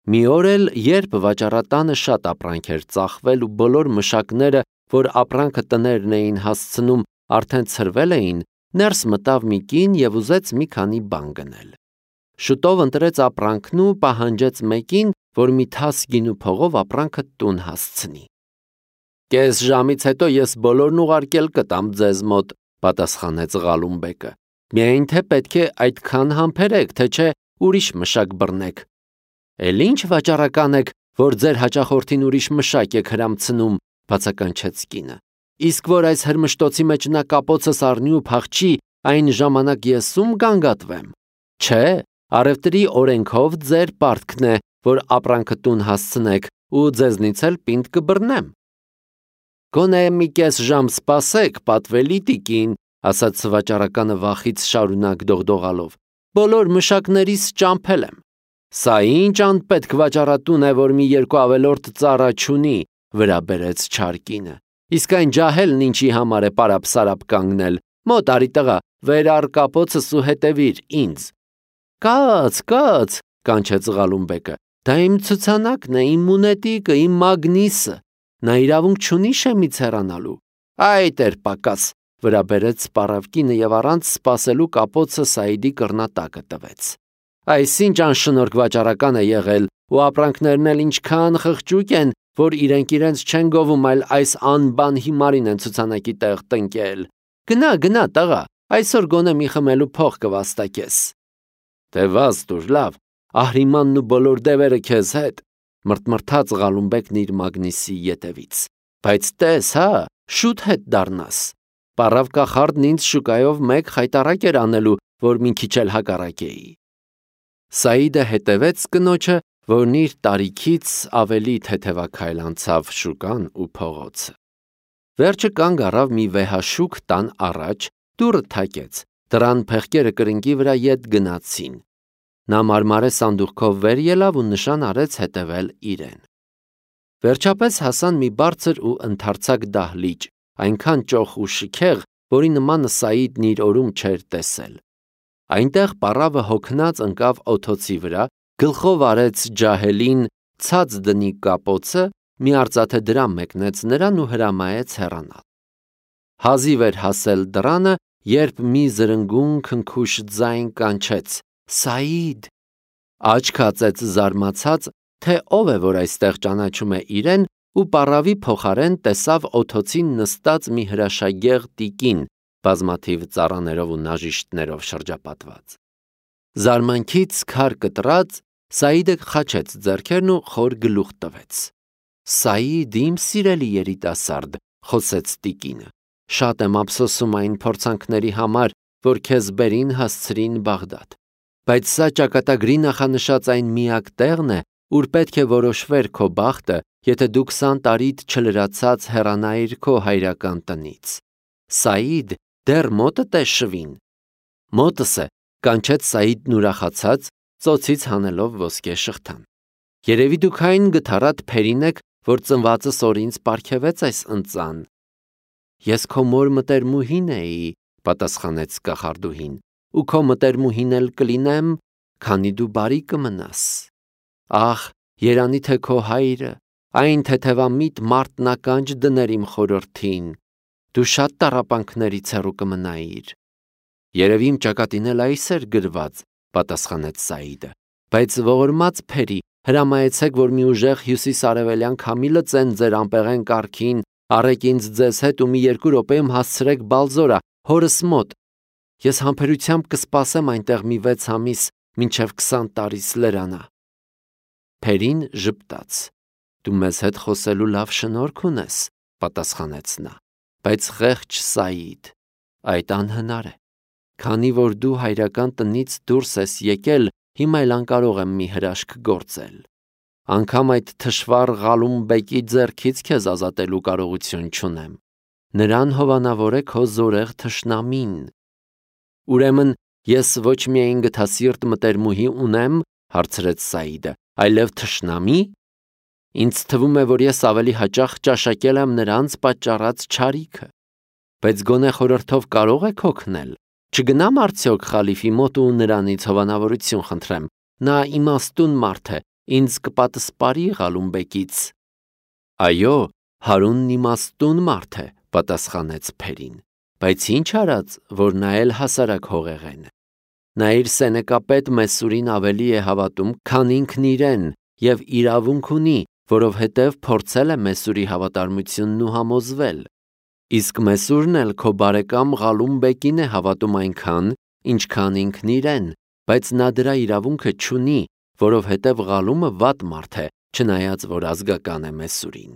Մի օր էլ, երբ վաճառատանը շատ ապրանք էր ծախվել ու բոլոր մշակները, որ ապրանքը տներն էին հասցնում, արդեն ցրվել էին, ներս մտավ մի կին և ուզեց մի քանի բան գնել։ Շուտով ընտրեց ապրանքն ու պահանջեց մեկին, որ մի թաս գինու փողով ապրանքը տուն հասցնի։ «Կես ժամից հետո ես բոլորն ուղարկել կտամ ձեզ մոտ», պատասխանեց Ղալումբեկը։ «Միայն թե պետք է այդքան համբերեք, թե չէ ուրիշ մշակ բռնեք»։ «Էլ ինչ վաճառական եք, որ ձեր հաճախորդին ուրիշ մշակ եք հրամցնում», բացականչեց կինը։ «Իսկ որ այս հրմշտոցի մեջ նա կապոցս առնի ու փախչի, այն ժամանակ ես ում գանգատվեմ։ Չէ, առևտրի օրենքով ձեր պարտքն է, որ ապրանքը տուն հասցնեք ու ձեզնից էլ պինդ կբռնեմ»։ «Գոնե մի կես ժամ սպասեք, պատվելի տիկին», ասաց վաճառականը վախից շարունակ դողդողալով։ «Բոլոր մշակներիս ճամփել եմ»։ «Սա ինչ անպետք վաճառատուն է, որ մի երկու ավելորդ ծառա չունի», վրա բերեց չար կինը։ «Իսկ այն ջահելն ինչի համար է պարապ-սարապ կանգնել, մոտ արի տղա, վեր առ կապոցս ու հետևիր ինձ»։ Կաց, կանչեց Ղալումբեկը, դա իմ ցուցանակն է, իմ մունետիկը, իմ մագնիսը, նա իրավունք չունի շեմից հեռանալու։ Այ տեր պակաս, վրա բերեց սպառավ կինը և առանց սպասելու կապոցը Սաիդի կռնատակը տվեց։ Այսինչ անշնորհք վաճառական է եղել, ու ապրանքներն էլ ինչքան խղճուկ են, որ իրենց չեն գովում, այլ այս անբան հիմարին են ցուցանակի տեղ տնկել։ Գնա, տղա, այսօր գոնե մի խմելու փող կվաստակես։ Դե վազ տուր, լավ, Ահրիմանն ու բոլոր դևերը քեզ հետ, մրթմրթաց Ղալումբեկն իր մագնիսի ետևից։ Բայց տես, հա, շուտ հետ դառնաս։ Պառավ կախարդն ինձ շուկայով մեկ խայտառակ էր անելու, որ մի քիչ էլ հակառակեի։ Սաիդը հետևեց կնոջը, որն իր տարիքից ավելի թեթևաքայլ անցավ շուկան ու փողոցը։ Վերջը կանգ առավ մի վեհաշուկ տան առաջ, դուռը թակեց, դռան փեղկերը կրնկի վրա ետ գնացին։ Նա մարմարե սանդուղքով վեր ելավ ու նշան արեց հետևել իրեն։ Վերջապես հասան մի բարձր ու ընդարձակ դահլիճ, այնքան ճոխ ու շքեղ, որի նմանը Սաիդն իր օրում չէր տեսել։ Այնտեղ պառավը հոգնած ընկավ օթոցի վրա, գլխով արեց ջահելին ցած դնի կապոցը, մի արծաթե դրամ մեկնեց նրան ու հրամայեց հեռանալ։ Հազիվ էր հասել դռանը, երբ մի զրնգուն քնքուշ ձայն կանչեց. Սաիդ, աչք հացեց զարմացած, թե ով է, որ այստեղ ճանաչում է իրեն, ու պառավի փոխարեն տեսավ օթոցին նստած մի հրաշագեղ տիկին, բազմաթիվ ծառաներով ու նաժիշտներով շրջապատված։ Զարմանքից քար կտրած, Սաիդը խաչեց ձեռքերն ու խոր գլուխ տվեց։ Սաիդ, իմ սիրելի երիտասարդ, խոսեց տիկինը, շատ եմ ափսոսում այն փորձանքների համար, որ քեզ բերին հասցրին Բաղդադ, բայց սա ճակատագրի նախանշած այն միակ տեղն է, ուր պետք է որոշվեր քո բախտը, եթե դու 20 տարիդ չլրացած հեռանայիր քո հայրական տնից։ Սաիդ, դեռ մոտդ է շվին։ Մոտս է, կանչեց Սաիդն ուրախացած, ծոցից հանելով ոսկե շղթան։ Երևի դուք այն գթառատ փերին եք, որ ծնվածս օր ինձ պարգևեց այս ընծան։ Ես քո մոր մտերմուհին էի, պատասխանեց կախարդուհին, ու քո մտերմուհին էլ կլինեմ, քանի դու բարի կմնաս։ Ախ, երանի թե քո հայրը, այն թեթևամիտ մարտնականջ դներ իմ խորհրդին, դու շատ տառապանքներից հեռու կմնայիր։ Երևի իմ ճակատին էլ այս էր գրված, պատասխանեց Սաիդը, բայց ողորմած փերի, հրամայեցեք, որ մի ուժեղ հյուսիսարևելյան քամի լծեն ձեր անպեղեն կառքին, առեք ինձ ձեզ հետ ու մի 2 րոպեում հասցրեք Բալզորա, հորս մոտ։ Ես համբերությամբ կսպասեմ այնտեղ մի 6 ամիս, մինչև 20 տարիս լրանա։ Փերին ժպտաց։ Դու մեզ հետ խոսելու լավ շնորհք ունես, պատասխանեց նա, բայց խեղճ Սաիդ, այդ անհնար է։ Քանի որ դու հայրական տնից դուրս ես եկել, հիմա էլ անկարող եմ մի հրաշք գործել։ Անգամ այդ թշվառ Ղալումբեկի ձեռքից քեզ ազատելու կարողություն չունեմ։ Նրան հովանավոր է քո զորեղ թշնամին։ Ուրեմն ես ոչ միայն գթասիրտ մտերմուհի ունեմ, հարցրեց Սաիդը, այլև թշնամի։ Ինձ թվում է, որ ես ավելի հաճախ ճաշակել եմ նրանց պատճառած չարիքը։ Բայց գոնե խորհրդով կարող եք օգնել։ Չգնամ արդյոք խալիֆի մոտ ու նրանից հովանավորություն խնդրեմ։ Նա իմաստուն մարդ է, ինձ կպատսպարի Ղալումբեկից։ Այո, Հարունն իմաստուն մարդ է, պատասխանեց Փերին, բայց ինչ արած, որ նա էլ հասարակ հողեղեն է։ Նա իր սենեկապետ Մեսուրին ավելի է հավատում, քան ինքն իրեն, եւ իրավունք ունի, որովհետեւ փորձել է Մեսուրի հավատարմությունն ու համոզվել։ Իսկ Մեսուրն էլ քո բարեկամ Ղալումբեկին է հավատում այնքան, ինչքան ինքն իրեն, բայց նա դրա իրավունքը չունի, որովհետեւ Ղալումը վատ մարդ է, չնայած որ ազգական է Մեսուրին։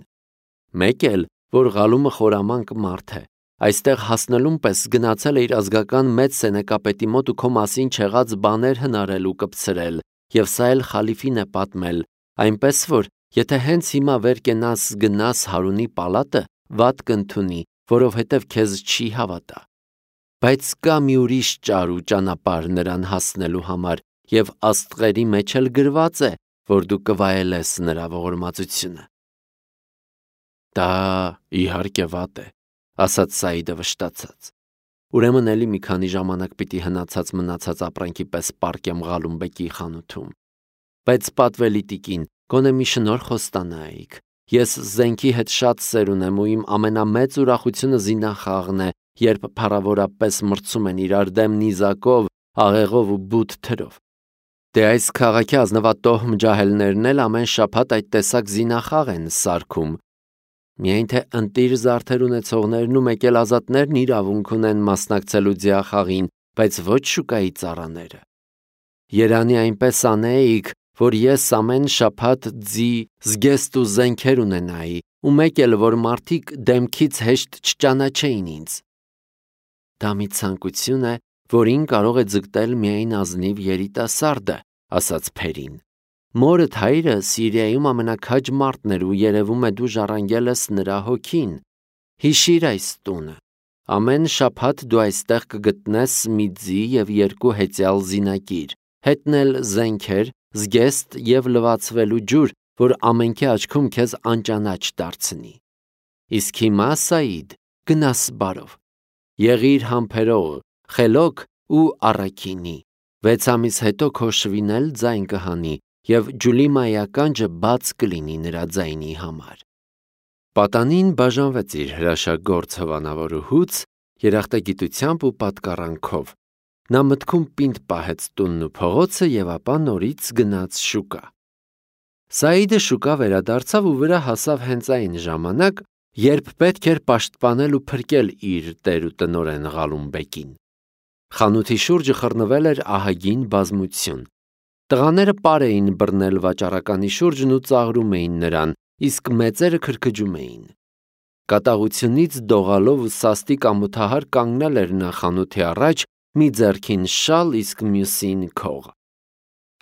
Մեկ էլ, որ Ղալումը խորամանկ մարդ է, այստեղ հասնելուն պես գնացել է իր ազգական մեծ սենեկապետի մոտ ու քո մասին չեղած բաներ հնարել ու կպցրել, եւ սա էլ խալիֆին է պատմել, այնպես որ եթե հենց հիմա վեր կենաս գնաս Հարունի պալատը, վատ կընդունի, որովհետև քեզ չի հավատա։ Բայց կա մի ուրիշ ճար ու ճանապարհ նրան հասնելու համար, եւ աստղերի մեջ էլ գրված է, որ դու կվայելես նրա ողորմածությունը։ Դա իհարկե վատ է, ասաց Սաիդը վշտացած։ Ուրեմն էլի մի քանի ժամանակ պիտի հնացած մնացած ապրանքի պես պառկեմ Ղալումբեկի խանութում։ Բայց պատվելի տիկին, գոնե մի շնորհ խոստանայիք։ Ես զենքի հետ շատ սեր ունեմ ու իմ ամենամեծ ուրախությունը զինախաղն է, երբ փառավորապես մրցում են իրար դեմ նիզակով, աղեղով ու բութ թրով։ Դե այս քաղաքի ազնվատոհ մջահելներն էլ ամեն շաբաթ այդ տեսակ զինախաղ են սարքում։ Միայն թե ընտիր զարդեր ունեցողներն ու մեկ էլ ազատներն իրավունք ունեն մասնակցելու ձիախաղին, բայց ոչ շուկայի ծառաները։ Երանի այնպես անեիք, որ ես ամեն շաբաթ ձի, զգեստ ու զենքեր ունենայի, ու մեկ էլ որ մարդիկ դեմքից հեշտ չճանաչեին ինձ։ Դա մի ցանկություն է, որին կարող է ձգտել միայն ազնիվ երիտասարդը, ասաց Փերին։ Մորդ հայրը Սիրիայում ամենաքաջ մարդն էր ու երևում է դու ժառանգել ես նրա հոգին։ Հիշիր այս տունը։ Ամեն շաբաթ դու այստեղ կգտնես մի ձի եւ 2 հեծյալ զինակիր, հետնել զենքեր, զգեստ եւ լվացվելու ջուր, որ ամենքի աչքում քեզ անճանաչ դարձնի։ Իսկ հիմա Սաիդ, գնաս բարով։ Եղիր համբերող, խելոք ու առաքինի։ 6 ամիս հետո քո շվին էլ ձայն կհանի եւ Ջուլիմայի ականջը բաց կլինի նրա ձայնի համար։ Պատանին բաժանվեց իր հրաշագործ հովանավորուհուց երախտագիտությամբ ու պատկառանքով։ Նա մտքում պինդ պահեց տունն ու փողոցը եւ ապա նորից գնաց շուկա։ Սաիդը շուկա վերադարձավ ու վրա հասավ հենց այն ժամանակ, երբ պետք էր պաշտպանել ու փրկել իր տեր ու տնօրեն Ղալումբեկին։ Խանութի շուրջը խռնվել էր ահագին բազմություն։ Տղաները պար էին բռնել վաճառականի շուրջն ու ծաղրում էին նրան, իսկ մեծերը քրքջում էին։ Կատաղությունից դողալով ու սաստիկ ամոթահար կանգնել էր նա խանութի առաջ, մի ձեռքին շալ, իսկ մյուսին քող։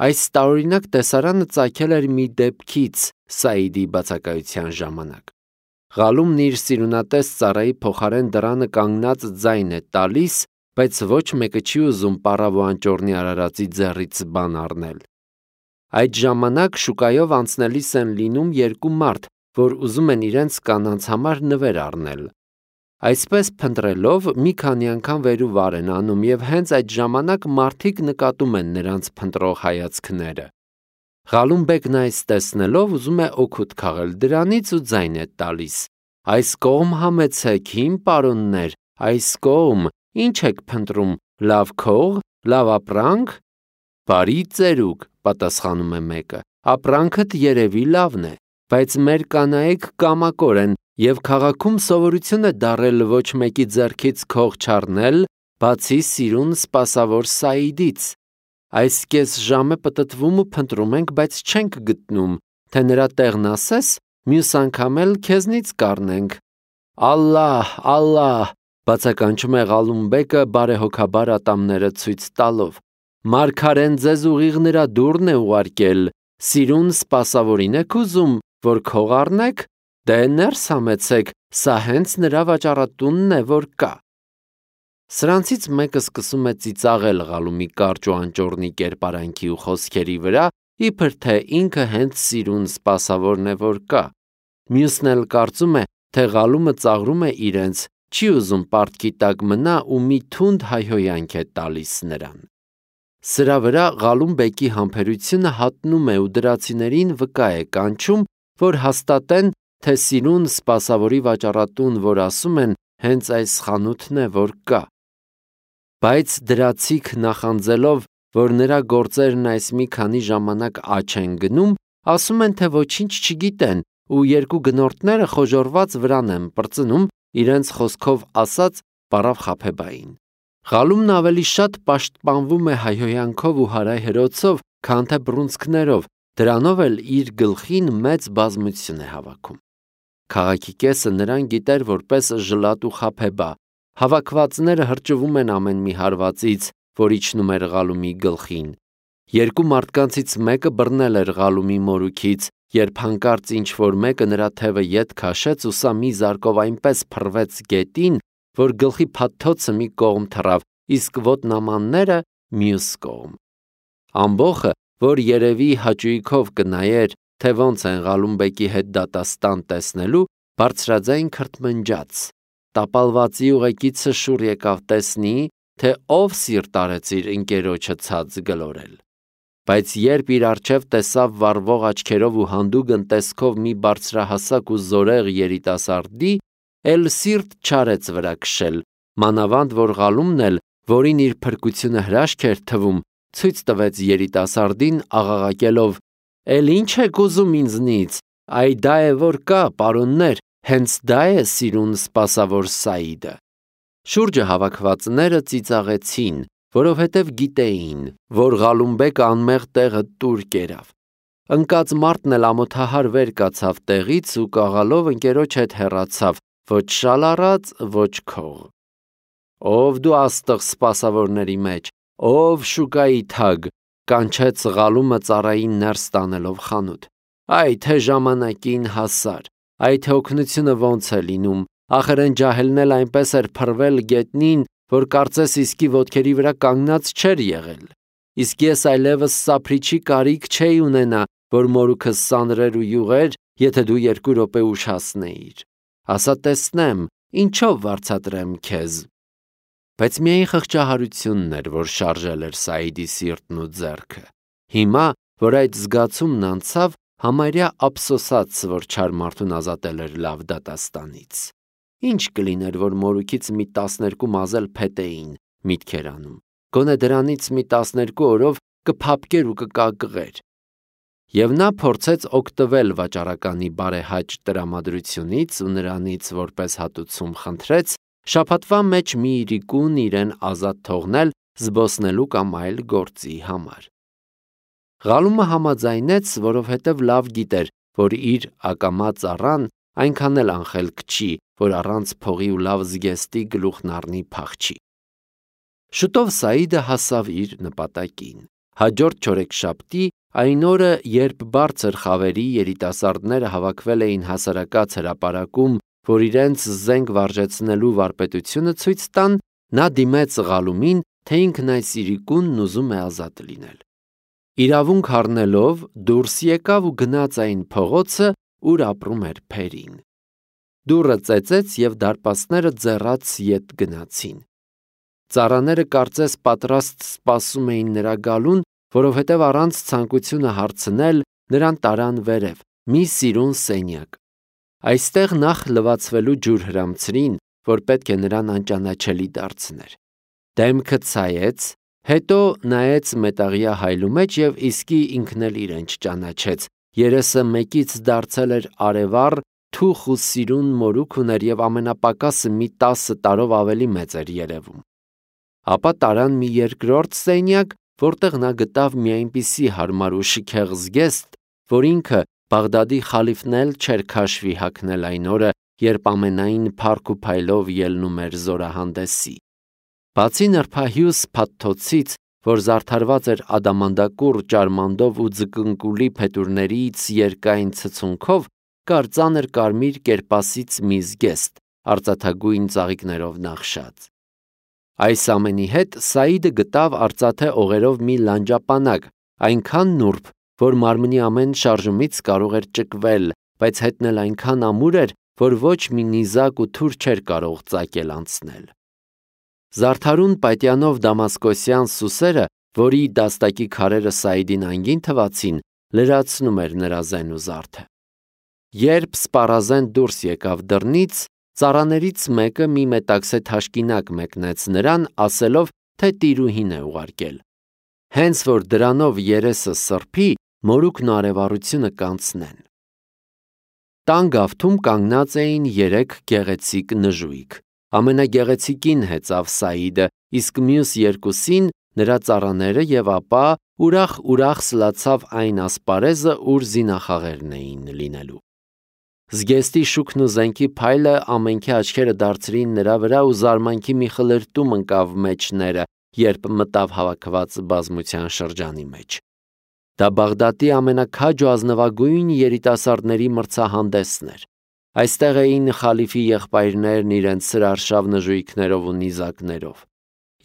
Այս տարօրինակ տեսարանը ծագել էր մի դեպքից Սաիդի բացակայության ժամանակ։ Ղալումն իր սիրունատես ծառայի փոխարեն դռանը կանգնած ձայն է տալիս, բայց ոչ մեկը չի ուզում պառավ ու անճոռնի արարածի ձեռից բան առնել։ Այդ ժամանակ շուկայով անցնելիս են լինում 2 մարդ, որ ուզում են իրենց կանանց համար նվեր առնել։ Այսպես փնտրելով մի քանի անգամ վեր ու վար են անում եւ հենց այդ ժամանակ մարդիկ նկատում են նրանց փնտրող հայացքները։ Ղալումբեկն այս տեսնելով ուզում է օգուտ քաղել դրանից ու ձայն է տալիս. Այս կողմ համեցեք, հին պարոններ, այս կողմ, ինչ եք փնտրում, լավ քող, լավ ապրանք։ Բարի ծերուկ, պատասխանում է մեկը, ապրանքդ երևի լավն է, բայց մեր կանայք կամակոր են եւ քաղաքում սովորություն է դարել ոչ մեկի ձեռքից քող չառնել, բացի սիրուն սպասավոր Սաիդից։ Այս կես ժամ է պտտվում ու փնտրում ենք, բայց չենք գտնում, թե նրա տեղն ասես, մյուս անգամ էլ քեզնից կառնենք։ Ալլահ, ալլահ, բացականչում է Ղալումբեկը բարեհոգաբար ատամները ցույց տալով։ Մարգարեն ձեզ ուղիղ նրա դուռն է ուղարկել, սիրուն սպասավորին եք ուզում, որ քող առնեք, դե ներս համեցեք, սա հենց նրա վաճառատունն է, որ կա։ Սրանցից մեկը սկսում է ծիծաղել Ղալումի կարճ ու անճոռնի կերպարանքի ու խոսքերի վրա, իբր թե ինքը հենց սիրուն սպասավորն է, որ կա։ Մյուսն էլ կարծում է, թե Ղալումը ծաղրում է իրենց, չի ուզում պարտքի տակ մնա ու մի թունդ հայհոյանք է տալիս նրան։ Սրա վրա Ղալում բեկի համբերությունը հատնում է ու դրացիներին վկա է կանչում, որ հաստատեն, թե սիրուն սպասավորի վաճառատուն, որ ասում են, հենց այս խանութն է, որ կա։ Բայց դրացիք նախանձելով, որ նրա գործերն այս մի քանի ժամանակ աճ են գնում, ասում են, թե ոչինչ չգիտեն ու երկու գնորդները խոժոռված վրան են պրծնում, իրենց խոսքով ասած պարավ Խաբեբային։ Ղալումն ավելի շատ պաշտպանվում է հայհոյանքով ու հարայհրոցով, քան թե բռունցքներով, դրանով էլ իր գլխին մեծ բազմություն է հավաքում։ Քաղաքի կեսը նրան գիտեր որպես ժլատ ու Խաբեբա, հավաքվածները հրճվում են ամեն մի հարվածից, որ իջնում էր Ղալումի գլխին։ Երկու մարդկանցից մեկը բռնել էր Ղալումի մորուքից, երբ հանկարծ ինչ-որ մեկը նրա թևը ետ քաշեց ու սա մի զարկով այնպես փռվեց գետին, որ գլխի փաթթոցը մի կողմ թռավ, իսկ ոտնամանները մյուս կողմ։ Ամբոխը, որ երևի հաճույքով կնայեր, թե ոնց են Ղալում բեկի հետ դատաստան տեսնելու, բարձրաձայն քրթմնջաց։ Տապալվածի ուղեկիցը շուռ եկավ տեսնի, թե ով սիրտ արեց իր ընկերոջը ցած գլորել։ Բայց երբ իր առջև տեսավ վառվող աչքերով ու հանդուգն տեսքով մի բարձրահասակ ու զորեղ երիտասարդի, էլ սիրտ չարեց վրա քշել, մանավանդ որ Ղալումն էլ, որին իր փրկությունը հրաշք էր թվում, ցույց տվեց երիտասարդին աղաղակելով. «Էլ ինչ եք ուզում ինձնից, այ դա է որ կա, պարոններ, հենց դա է սիրուն սպասավոր Սաիդը»։ Շուրջը հավաքվածները ծիծաղեցին, որովհետև գիտեին, որ Ղալումբեկը անմեղ տեղը տուր կերավ։ Ընկած մարդն էլ ամոթահար վեր կացավ տեղից ու կաղալով ընկերոջ հետ հեռացավ, ոչ շալ առած, ոչ քող։ «Ով դու աստղ սպասավորների մեջ, ով շուկայի թագ», կանչեց Ղալումը ծառային ներս տանելով խանութ։ «Այ թե ժամանակին հասար, այ թե օգնությունը ոնց է լինում, ախր են ջահելն էլ այնպես էր փռվել գետնին, որ կարծես իսկի ոտքերի վրա կանգնած չէր եղել։ Իսկ ես այլևս սափրիչի կարիք չէի ունենա, որ մորուքս սանրեր ու յուղեր, եթե դու 2 րոպե ուշացնեիր։ Ասա տեսնեմ, ինչով վարձատրեմ քեզ»։ Բայց միայն խղճահարությունն էր, որ շարժել էր Սաիդի սիրտն ու ձեռքը։ Հիմա, որ այդ զգացումն անցավ, համարյա ափսոսաց, որ չար մարդուն ազատել էր լավ դատաստանից։ Ինչ կլիներ, որ մորուքից մի 12 մազել փետեին, միտք էր անում։ Գոնե դրանից մի 12 օրով կփափկեր ու կկակղեր։ Եվ նա փորձեց օգտվել վաճառականի բարեհաճ տրամադրությունից ու նրանից որպես հատուցում խնդրեց շաբաթվա մեջ մի իրիկուն իրեն ազատ թողնել զբոսնելու կամ այլ գործի համար։ Ղալումը համաձայնեց, որովհետև լավ գիտեր, որ իր ակամա ծառան այնքան էլ անխելք չի, որ առանց փողի ու լավ զգեստի գլուխն առնի փախչի։ Շուտով Սաիդը հասավ իր նպատակին։ Հաջորդ չորեքշաբթի, այն օրը, երբ բարձր խավերի երիտասարդները հավաքվել էին հասարակած հրապարակում, որ իրենց զենք վարժեցնելու վարպետությունը ցույց տան, նա դիմեց Ղալումին, թե ինքն այս իրիկունն ուզում է ազատ լինել։ Իրավունք առնելով դուրս եկավ ու գնաց այն փողոցը, ուր ապրում էր Փերին։ Դուռը ծեծեց և դարպասները ձեռաց ետ գնացին։ Ծառաները կարծես պատրաստ սպասում էին նրա գալուն, որովհետև առանց ցանկությունը հարցնել նրան տարան վերև, մի սիրուն սենյակ։ Այստեղ նախ լվացվելու ջուր հրամցրին, որ պետք է նրան անճանաչելի դարձներ։ Դեմքը ցայեց, հետո նայեց մետաղյա հայլու մեջ և իսկի ինքն էլ իրեն չճանաչեց։ Երեսը մեկից դարձել էր արևառ, թուխ ու սիրուն մորուք ուներ և ամենապակասը մի 10 տարով ավելի մեծ էր երևում։ Ապա տարան մի երկրորդ սենյակ, որտեղ նա գտավ մի այնպիսի հարմար ու շքեղ զգեստ, որ ինքը Բաղդադի խալիֆն էլ չէր քաշվի հագնել այն օրը, երբ ամենայն փառք ու փայլով ելնում էր զորահանդեսի։ Բացի նրբահյուս փաթթոցից, որ զարդարված էր ադամանդակուռ ճարմանդով ու ձկնկուլի փետուրներից երկայն ցցունքով, կար ծանր կարմիր կերպասից մի զգեստ, արծաթագույն ծաղիկներով նախշած։ Այս ամենի հետ Սաիդը գտավ արծաթե օղերով մի լանջապանակ, այնքան նուրբ, որ մարմնի ամեն շարժումից կարող էր ճկվել, բայց հետն էլ այնքան ամուր էր, որ ոչ մի նիզակ ու թուր չէր կարող ծակել անցնել։ Զարդարուն պատյանով դամասկոսյան սուսերը, որի դաստակի քարերը Սաիդին անգին թվացին, լրացնում էր նրա զեն ու զարդը։ Երբ սպառազեն դուրս եկավ դռնից, ծառաներից մեկը մի մետաքսե թաշկինակ մեկնեց նրան, ասելով, թե տիրուհին է ուղարկել։ Հենց որ դրանով երեսը սրբի, մորուքն ու արևառությունը կանցնեն։ Տան գավթում կանգնած էին 3 գեղեցիկ նժույգ։ Ամենագեղեցիկին հեծավ Սաիդը, իսկ մյուս երկուսին նրա ծառաները, եւ ապա ուրախ սլացավ այն ասպարեզը, ուր զինախաղերն էին լինելու։ Զգեստի շուքն ու զենքի փայլը ամենքի աչքերը դարձրին նրա վրա ու զարմանքի մի խլրտում ընկավ մեջները, երբ մտավ հավաքված բազմության շրջանի մեջ։ Դա Բաղդադի ամենաքաջ ու ազնվագույն երիտասարդների մրցահանդեսն էր։ Այստեղ էին խալիֆի եղբայրներն իրենց սրարշավ նժույգներով ու նիզակներով։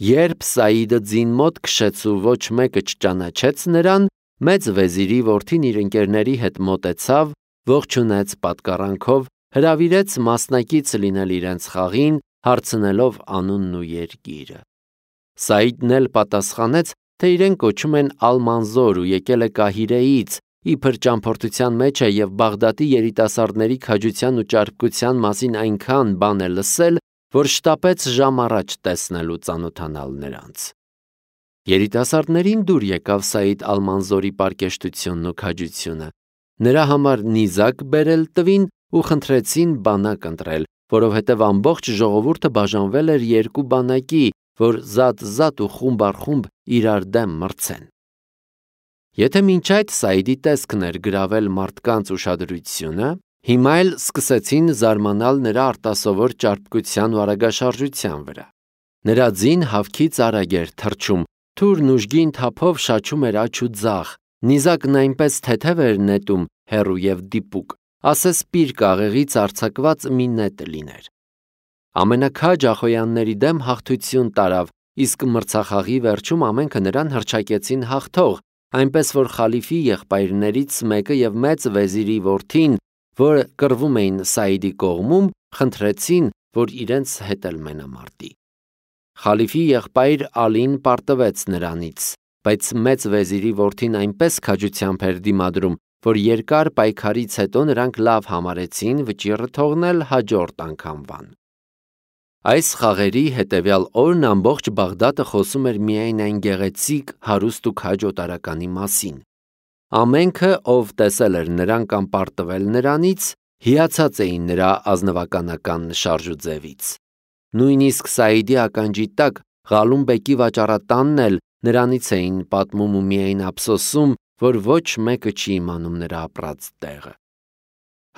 Երբ Սաիդը ձին մոտ քշեց ու ոչ մեկը չճանաչեց նրան, մեծ վեզիրի որդին իր ընկերների հետ մոտեցավ, ողջունեց պատկառանքով, հրավիրեց մասնակից լինել իրենց խաղին, հարցնելով անունն ու երկիրը։ Սաիդն էլ պատասխանեց, թե իրեն կոչում են Ալ-Մանզոր ու եկել է Կահիրեից, իբր ճամփորդության մեջ է եւ Բաղդադի երիտասարդների քաջության ու ճարպկության մասին այնքան բան է լսել, որ շտապեց ժամ առաջ տեսնել ու ծանոթանալ նրանց։ Երիտասարդներին դուր եկավ Սաիդ Ալ-Մանզորի պարկեշտությունն ու քաջությունը։ Նրա համար նիզակ բերել տվին ու խնդրեցին բանակ ընտրել, որովհետև ամբողջ ժողովուրդը բաժանվել էր 2 բանակի, որ զատ ու խումբ առ խումբ իրար դեմ մրցեն։ Եթե մինչ այդ Սաիդի տեսքն էր գրավել մարդկանց ուշադրությունը, հիմա էլ սկսեցին զարմանալ նրա արտասովոր ճարպկության ու արագաշարժության վրա։ Նրա ձին հավքից արագ էր թռչում, թուրն ուժգին թափով շաչում էր աջ ու ձախ, նիզակն այնպես թեթև էր նետում, հեռու եւ դիպուկ, ասես պիրկ աղեղից արձակված մի նետ լիներ։ Ամենաքաջ ախոյանների դեմ հաղթություն տարավ, իսկ մրցախաղի վերջում ամենքը նրան հռչակեցին հաղթող, այնպես որ խալիֆի եղբայրներից մեկը եւ մեծ վեզիրի որդին, որ կռվում էին Սաիդի կողմում, խնդրեցին, որ իրենց հետ էլ մենամարտի։ Խալիֆի եղբայր Ալին պարտվեց նրանից, բայց մեծ վեզիրի որդին այնպես քաջությամբ էր դիմադրում, որ երկար պայքարից հետո նրանք լավ համարեցին վճիռը թողնել հաջորդ անգամվան։ Այս խաղերի հետևյալ օրն ամբողջ Բաղդադը խոսում էր միայն այն գեղեցիկ, հարուստ ու քաջ օտարականի մասին։ Ամենքը, ով տեսել էր նրան կամ պարտվել նրանից, հիացած էին նրա ազնվականական շարժուձևից։ Նույնիսկ Սաիդի ականջի տակ Ղալում բեկի վաճառատանն էլ նրանից էին պատմում ու միայն ափսոսում, որ ոչ մեկը չի իմանում նրա ապրած տեղը։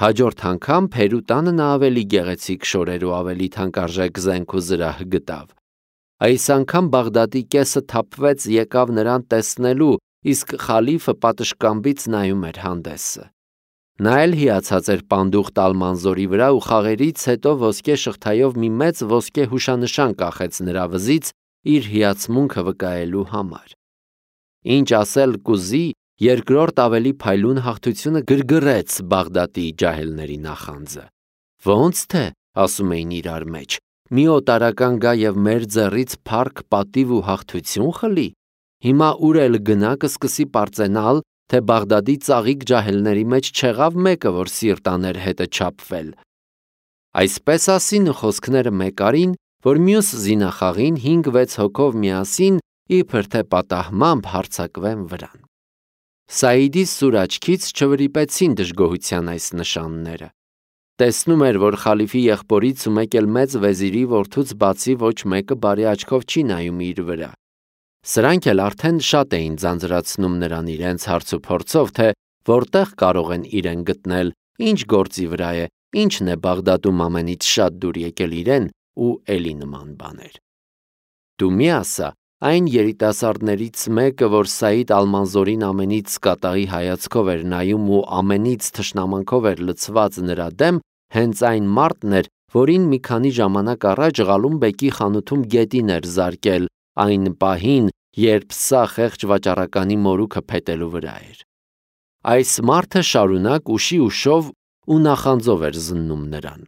Հաջորդ անգամ Փերու տանը նա ավելի գեղեցիկ շորեր ու ավելի թանկարժեք զենք ու զրահ գտավ։ Այս անգամ Բաղդադի կեսը թափվեց եկավ նրան տեսնելու, իսկ խալիֆը պատշգամբից նայում էր հանդեսը։ Նա էլ հիացած էր պանդուխտ Ալ-Մանզորի վրա ու խաղերից հետո ոսկե շղթայով մի մեծ ոսկե հուշանշան կախեց նրա վզից իր հիացմունքը վկայելու համար։ Ինչ ասել կուզի, երկրորդ ավելի փայլուն հաղթությունը գրգռեց Բաղդադի ջահելների նախանձը։ Ոնց թե, ասում էին իրար մեջ, մի օտարական գա եւ մեր ձեռից փառք, պատիվ ու հաղթություն խլի։ Հիմա ուր էլ գնա կսկսի պարծենալ, թե Բաղդադի ծաղիկ ջահելների մեջ չեղավ մեկը, որ սիրտ աներ հետը չափվել։ Այսպես ասին ու խոսքները մեկ արին, որ մյուս զինախաղին 5-6 հոգով միասին իբր թե պատահմամբ հարձակվեն վրան։ Սաիդի սուր աչքից չվրիպեցին դժգոհության այս նշանները։ Տեսնում էր, որ խալիֆի եղբորից ու մեկ էլ մեծ վեզիրի որդուց բացի ոչ մեկը բարի աչքով չի նայում իր վրա։ Սրանք էլ արդեն շատ էին ձանձրացնում նրան իրենց հարցուփորձով, թե որտեղ կարող են իրեն գտնել, ինչ գործի վրա է, ինչն է Բաղդադում ամենից շատ դուր եկել իրեն ու էլի նման բաներ։ Դու մի ասա, այն երիտասարդներից մեկը, որ Սաիդ Ալ-Մանզորին ամենից կատաղի հայացքով էր նայում ու ամենից թշնամանքով էր լցված նրա դեմ, հենց այն մարդն էր, որին մի քանի ժամանակ առաջ Ղալում բեկի խանութում գետին էր զարկել, այն պահին, երբ սա խեղճ վաճառականի մորուքը փետելու վրա էր։ Այս մարդը շարունակ ուշի ուշով ու նախանձով էր զննում նրան։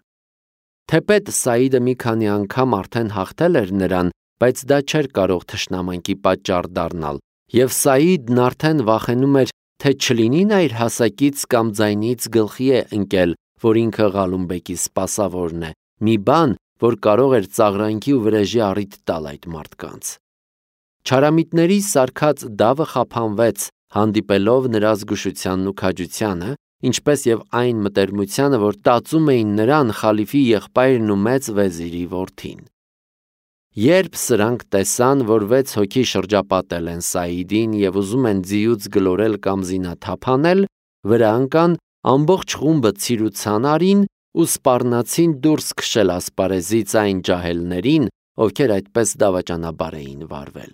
Թեպետ Սաիդը մի քանի անգամ արդեն հաղթել էր նրան, բայց դա չէր կարող թշնամանքի պատճառ դառնալ, Եվ Սաիդն արդեն վախենում էր, թե չլինի նա իր հասակից կամ ձայնից գլխի է ընկել, որ ինքը Ղալումբեկի սպասավորն է, մի բան, որ կարող էր ծաղրանքի ու վրեժի առիթ տալ այդ մարդկանց։ Չարամիտների սարքած դավը խափանվեց, հանդիպելով նրա զգուշությանն ու քաջությանը, ինչպես եւ այն մտերմությանը, որ տածում էին նրան խալիֆի եղբայրն ու մեծ վեզիրի որդին։ Երբ սրանք տեսան, որ 6 հոգի շրջապատել են Սաիդին եւ ուզում են ձիուց գլորել կամ զինաթափանել, վրա ընկան, ամբողջ խումբը ցիրուցան արին ու սպառնացին դուրս քշել ասպարեզից այն ջահելներին, ովքեր այդպես դավաճանաբար էին վարվել։